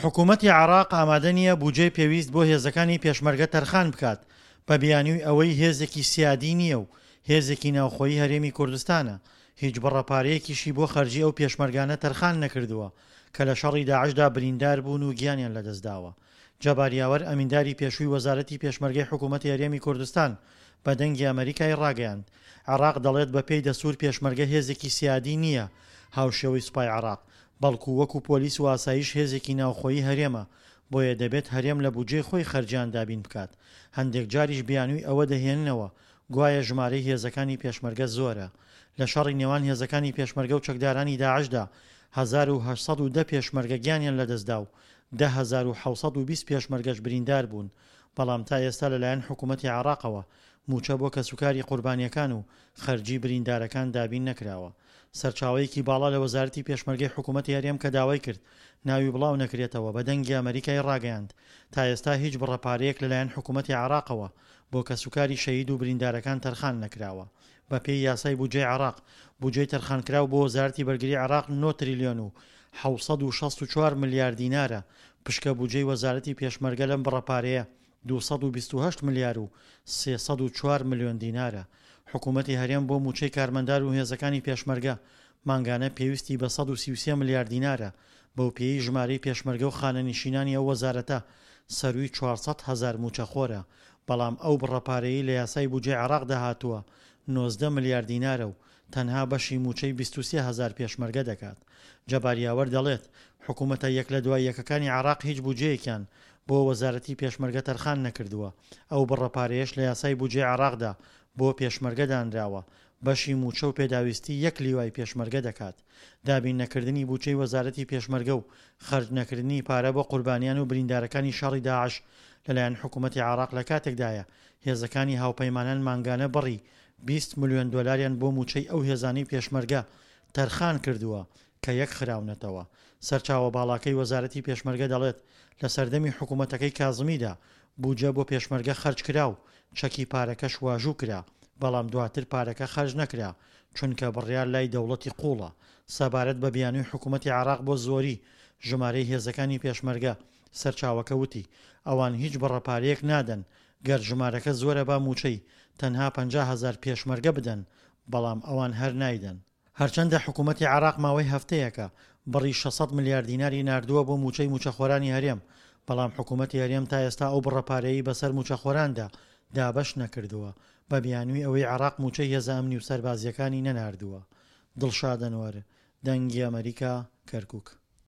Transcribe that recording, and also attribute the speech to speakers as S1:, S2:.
S1: حکومەتی عێراق ئامادە نییە بودجەی پێویست بۆ هێزەکانی پێشمەرگە تەرخان بکات، بە بیانووی ئەوەی هێزێکی سیادی نییە و هێزێکی ناوخۆیی هەرێمی کوردستانە، هیچ بڕە پارەیەکیشی بۆ خەرجی ئەو پێشمەرگانە تەرخان نەکردووە کە لە شەڕی داعشدا بریندار بوون و گیانیان لەدەستداوە. جەبار یاوەر ئەمینداری پێشووی وەزارەتی پێشمەرگەی حکوومەتی هەرێمی کوردستان بە دەنگی ئەمەریکای ڕاگەیاند، عێراق دەڵێت بەپێی دەستوور پێشمەرگە هێزێکی سیادی نییە هاوشێوەی سوپای عێراق، بەڵکو وەکو پۆلیس و ئاسایش هێزێکی ناوخۆیی هەرێمە، بۆیە دەبێت هەرێم لە بودجەی خۆی خەرجیان دابین بکات، هەندێک جاریش بیانووی ئەوە دەهێننەوە گوایە ژمارەی هێزەکانی پێشمەرگە زۆرە. لە شەڕی نێوان هێزەکانی پێشمەرگە و چەکدارانی داعشدا 1810 پێشمەرگە گیانیان لەدەستدا و 10720 پێشمەرگەش بریندار بوون، بەڵام تا ئێستا لەلایەن حکومەتی عێراقەوە مووچە بۆ کەسوکاری قوربانییەکان و خەرجی بریندارەکان دابین نەکراوە. سەرچاوەیەکی باڵا لە وەزارەتی پێشمەرگەی حکومەتی هەرێم کە داوای کرد ناوی بڵاو نەکرێتەوە بە دەنگی ئەمەریکای ڕاگەیاند تا ئێستا هیچ بڕە پارەیەک لەلایەن حکومەتی عێراقەوە بۆ کەسوکاری شەهید و بریندارەکان تەرخان نەکراوە. بەپێی یاسای بودجەی عێراق، بودجەی تەرخانکراو بۆ وەزارەتی بەرگری عێراق نۆ تریلیۆن و 764 ملیار دینارە، پشکە بودجەی وەزارەتی پێشمەرگە لەم بڕە پارەیە 228 ملیار و 304 ملیۆن دینارە. حکومەتی هەرێم بۆ مووچەی کارمەندان و هێزەکانی پێشمەرگە مانگانە پێویستی بە 133 ملیار دینارە، بەوپێیەی ژمارەی پێشمەرگە و خانەنشینانی ئەو وەزارەتە سەرووی 400 هەزار مووچەخۆرە، بەڵام ئەو بڕە پارەیەی لە یاسای بودجەی عێراقدا هاتووە 19 ملیار دینارە و تەنها بەشی مووچەی 23 هەزار پێشمەرگە دەکات. جەبار یاوەر دەڵێت، حکومەتە یەک لە دوای یەکەکانی عێراق هیچ بودجەیەکیان بۆ وەزارەتی پێشمەرگە تەرخان نەکردووە، ئەو بڕە پارەیەش لە یاسای بودجەی عێراقدا بۆ پێشمەرگە دانراوە، بەشی مووچە و پێداویستی یەک لیوای پێشمەرگە دەکات. دابین نەکردنی بودجەی وەزارەتی پێشمەرگە و خەرج نەکردنی پارە بۆ قوربانیان و بریندارەکانی شەڕی داعش لەلایەن حکومەتی عێراق لە کاتێکدایە هێزەکانی هاوپەیمانان مانگانە بڕی 20 ملیۆن دۆلاریان بۆ مووچەی ئەو هێزانەی پێشمەرگە تەرخان کردووە کە یەک خراونەتەوە. سەرچاوە باڵاکەی وەزارەتی پێشمەرگە دەڵێت، لە سەردەمی حکومەتەکەی کازمیدا بودجە بۆ پێشمەرگە خەرج کرا و چەکی پارەکەش واژوو کرا، بەڵام دواتر پارەکە خەرج نەکرا، چونکە بڕیار لای دەوڵەتی قووڵە. سەبارەت بە بیانووی حکومەتی عێراق بۆ زۆری ژمارەی هێزەکانی پێشمەرگە، سەرچاوەکە وتی، ئەوان هیچ بڕە پارەیەک نادەن، گەر ژمارەکە زۆرە با مووچەی تەنها 50 هەزار پێشمەرگە بدەن، بەڵام ئەوان هەر نایدەن. هەرچەندە حکومەتی عێراق ماوەی هەفتەیەکە بڕی 600 ملیار دیناری ناردووە بۆ مووچەی مووچەخۆرانی هەرێم، بەڵام حکومەتی هەرێم تا ئێستا ئەو بڕە پارەیەی بەسەر مووچەخۆراندا دابەش نەکردووە، بە بیانووی ئەوەی عێراق مووچەی هێزە ئەمنی و سەربازییەکانی نەناردووە. دڵشاد ئەنوەر، دەنگی ئەمەریکا، کەرکوک.